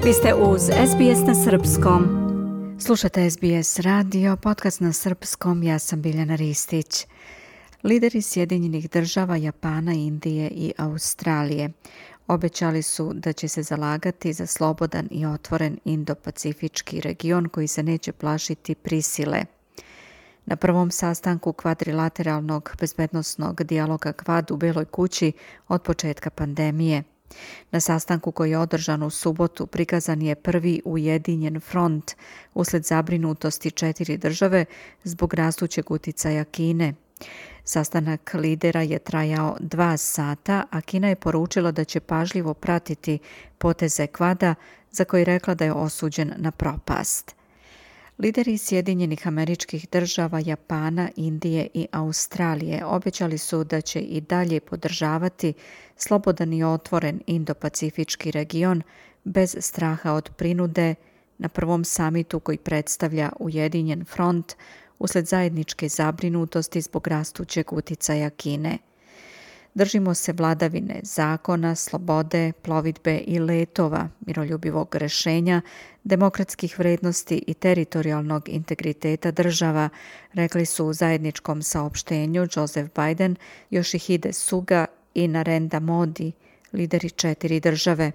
Vi ste uz SBS na srpskom. Slušate SBS radio, podcast na srpskom, ja sam Biljana Ristić. Lideri Sjedinjenih država, Japana, Indije i Australije obećali su da će se zalagati za slobodan i otvoren Indo-Pacifički region koji se neće plašiti prisile. Na prvom sastanku kvadrilateralnog bezbednosnog dijaloga Quad u Beloj kući od početka pandemije. Na sastanku koji je održan u subotu prikazan je prvi ujedinjen front usled zabrinutosti 4 države zbog rastućeg uticaja Kine. Sastanak lidera je trajao 2 sata, a Kina je poručila da će pažljivo pratiti poteze Quada za koji je rekla da je osuđen na propast. Lideri Sjedinjenih Američkih Država, Japana, Indije i Australije obećali su da će i dalje podržavati slobodan i otvoren Indo-Pacifički region bez straha od prinude na prvom samitu koji predstavlja Ujedinjen front usled zajedničke zabrinutosti zbog rastućeg uticaja Kine. Držimo se vladavine zakona, slobode, plovidbe i letova, miroljubivog rešenja, demokratskih vrednosti i teritorijalnog integriteta država, rekli su u zajedničkom saopštenju Joseph Biden, Yoshihide Suga i Narendra Modi, lideri 4 države.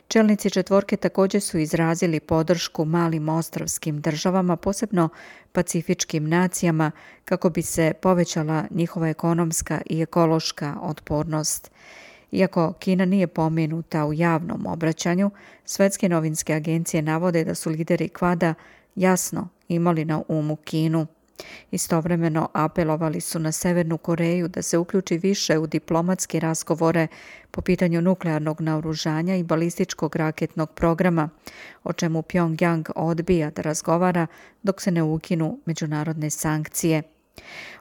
Čelnici četvorke također su izrazili podršku malim ostrvskim državama, posebno pacifičkim nacijama, kako bi se povećala njihova ekonomska i ekološka otpornost. Iako Kina nije pomenuta u javnom obraćanju, svetske novinske agencije navode da su lideri Quada jasno imali na umu Kinu. Istovremeno apelovali su na Severnu Koreju da se uključi više u diplomatske razgovore po pitanju nuklearnog naoružanja i balističkog raketnog programa, o čemu Pyongyang odbija da razgovara dok se ne ukinu međunarodne sankcije.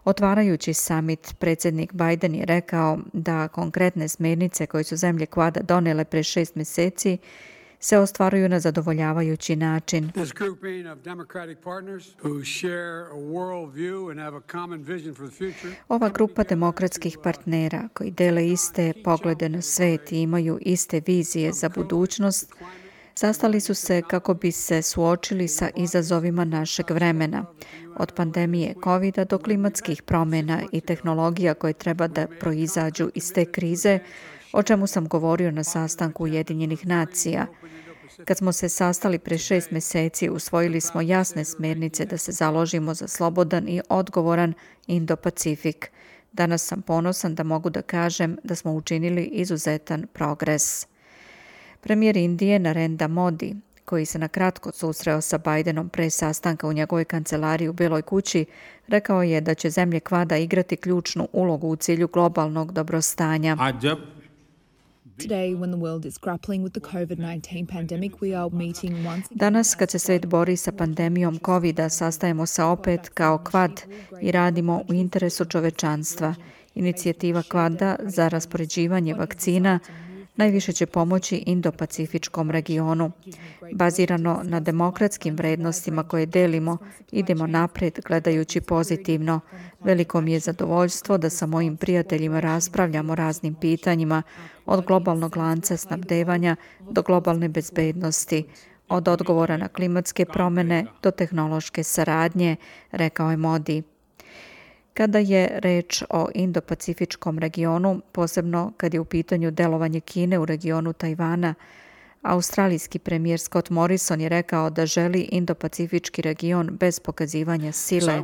Otvarajući summit, predsjednik Biden je rekao da konkretne smjernice koje su zemlje Quada donele pre 6 mjeseci se ostvaruju na zadovoljavajući način. Ova grupa demokratskih partnera koji dele iste poglede na svet i imaju iste vizije za budućnost, sastali su se kako bi se suočili sa izazovima našeg vremena, od pandemije COVID-a do klimatskih promjena i tehnologija koje treba da proizađu iz te krize, o čemu sam govorio na sastanku Ujedinjenih nacija. Kad smo se sastali pre 6 mjeseci, usvojili smo jasne smjernice da se založimo za slobodan i odgovoran Indo-Pacifik. Danas sam ponosan da mogu da kažem da smo učinili izuzetan progres. Premijer Indije Narendra Modi, koji se na kratko susreo sa Bidenom pre sastanka u njegovoj kancelariji u Beloj kući, rekao je da će zemlje Quada igrati ključnu ulogu u cilju globalnog dobrostanja. Danas, kad se svet bori sa pandemijom COVID-a, sastajemo se opet kao Quad i radimo u interesu čovečanstva. Inicijativa Quada za raspoređivanje vakcina najviše će pomoći Indo-Pacifičkom regionu. Bazirano na demokratskim vrednostima koje delimo, idemo napred gledajući pozitivno. Veliko mi je zadovoljstvo da sa mojim prijateljima raspravljamo raznim pitanjima, od globalnog lanca snabdevanja do globalne bezbednosti, od odgovora na klimatske promjene do tehnološke saradnje, rekao je Modi. Kada je reč o Indo-Pacifičkom regionu, posebno kad je u pitanju delovanje Kine u regionu Tajvana, australijski premijer Scott Morrison je rekao da želi Indo-Pacifički region bez pokazivanja sile.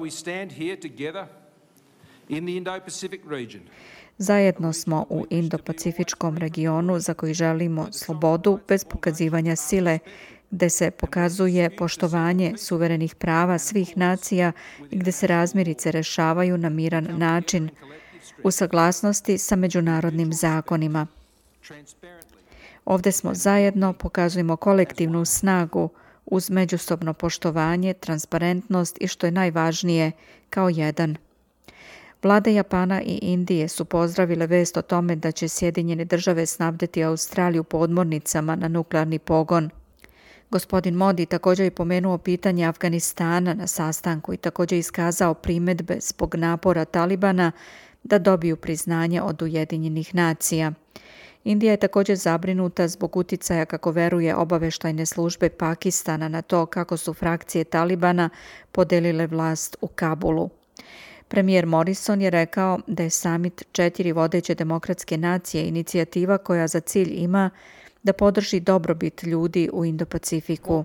Zajedno smo u Indo-Pacifičkom regionu za koji želimo slobodu bez pokazivanja sile, gde se pokazuje poštovanje suverenih prava svih nacija i gde se razmirice rešavaju na miran način, u saglasnosti sa međunarodnim zakonima. Ovde smo zajedno, pokazujemo kolektivnu snagu uz međusobno poštovanje, transparentnost i što je najvažnije, kao jedan. Vlade Japana i Indije su pozdravile vest o tome da će Sjedinjene države snabdeti Australiju podmornicama na nuklearni pogon. Gospodin Modi također je pomenuo pitanje Afganistana na sastanku i također iskazao primedbe zbog napora Talibana da dobiju priznanje od Ujedinjenih nacija. Indija je također zabrinuta zbog uticaja, kako veruje, obavještajne službe Pakistana na to kako su frakcije Talibana podelile vlast u Kabulu. Premijer Morrison je rekao da je samit 4 vodeće demokratske nacije inicijativa koja za cilj ima da podrži dobrobit ljudi u Indo-Pacifiku.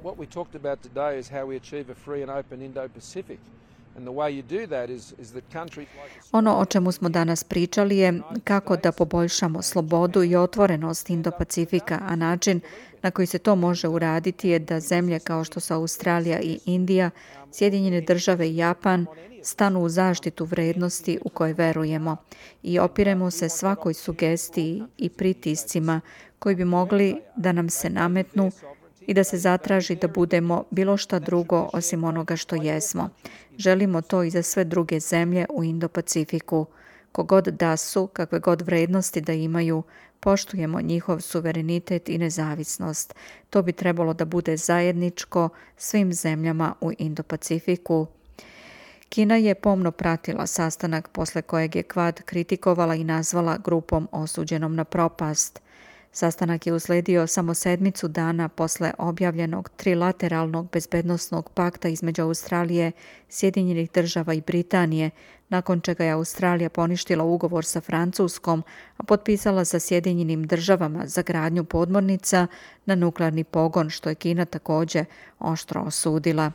Ono o čemu smo danas pričali je kako da poboljšamo slobodu i otvorenost Indo-Pacifika, a način na koji se to može uraditi je da zemlje kao što su Australija i Indija, Sjedinjene države i Japan stanu u zaštitu vrednosti u koje verujemo i opiremo se svakoj sugestiji i pritiscima koji bi mogli da nam se nametnu i da se zatraži da budemo bilo šta drugo osim onoga što jesmo. Želimo to i za sve druge zemlje u Indo-Pacifiku. Kogod da su, kakve god vrednosti da imaju, poštujemo njihov suverenitet i nezavisnost. To bi trebalo da bude zajedničko svim zemljama u Indo-Pacifiku. Kina je pomno pratila sastanak posle kojeg je Quad kritikovala i nazvala grupom osuđenom na propast. Sastanak je usledio samo 7 dana posle objavljenog trilateralnog bezbednosnog pakta između Australije, Sjedinjenih država i Britanije, nakon čega je Australija poništila ugovor sa Francuskom, a potpisala sa Sjedinjenim državama za gradnju podmornica na nuklearni pogon, što je Kina također oštro osudila.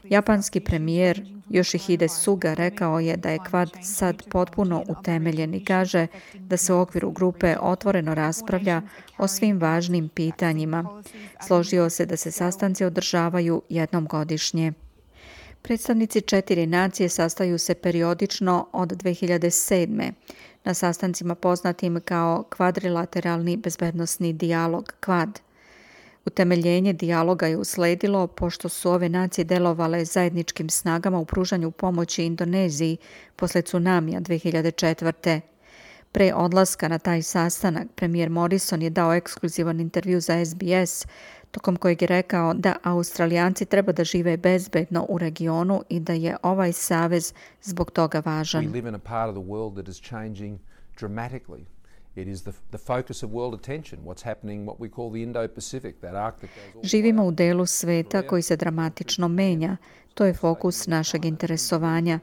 Japanski premijer Yoshihide Suga rekao je da je Quad sad potpuno utemeljen i kaže da se u okviru grupe otvoreno raspravlja o svim važnim pitanjima. Složio se da se sastanci održavaju jednom godišnje. Predstavnici 4 nacije sastaju se periodično od 2007. na sastancima poznatim kao kvadrilateralni bezbednosni dijalog Quad. Utemeljenje dijaloga je usledilo pošto su ove nacije delovale zajedničkim snagama u pružanju pomoći Indoneziji posle tsunamija 2004. Pre odlaska na taj sastanak, premijer Morrison je dao ekskluzivan intervju za SBS, tokom kojeg je rekao da Australijanci treba da žive bezbedno u regionu i da je ovaj savez zbog toga važan. It is the focus of world attention, what's happening, what we call the Indo-Pacific, that Arctic. Živimo u delu sveta koji se dramatično menja. To je fokus našeg interesovanja.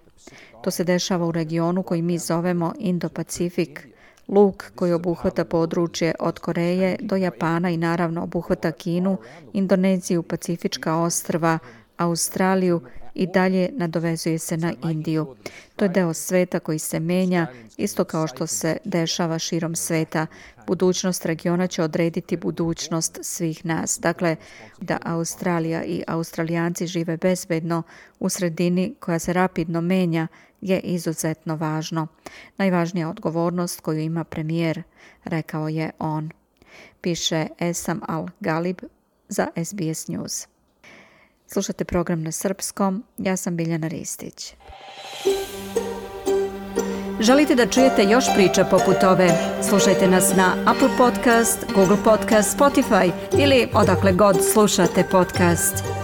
To se dešava u regionu koji mi zovemo Indo-Pacifik. Luk koji obuhvata područje od Koreje do Japana i naravno obuhvata Kinu, Indoneziju, Pacifička ostrva, Australiju i dalje nadovezuje se na Indiju. To je deo sveta koji se menja, isto kao što se dešava širom sveta. Budućnost regiona će odrediti budućnost svih nas. Dakle, da Australija i Australijanci žive bezbedno u sredini koja se rapidno menja je izuzetno važno. Najvažnija odgovornost koju ima premijer, rekao je on. Piše Esam Al-Galib za SBS News. Slušate program na srpskom, ja sam Biljana Ristić. Želite da čujete još priča poput ove? Slušajte nas na Apple Podcast, Google Podcast, Spotify ili odakle god slušate podcast.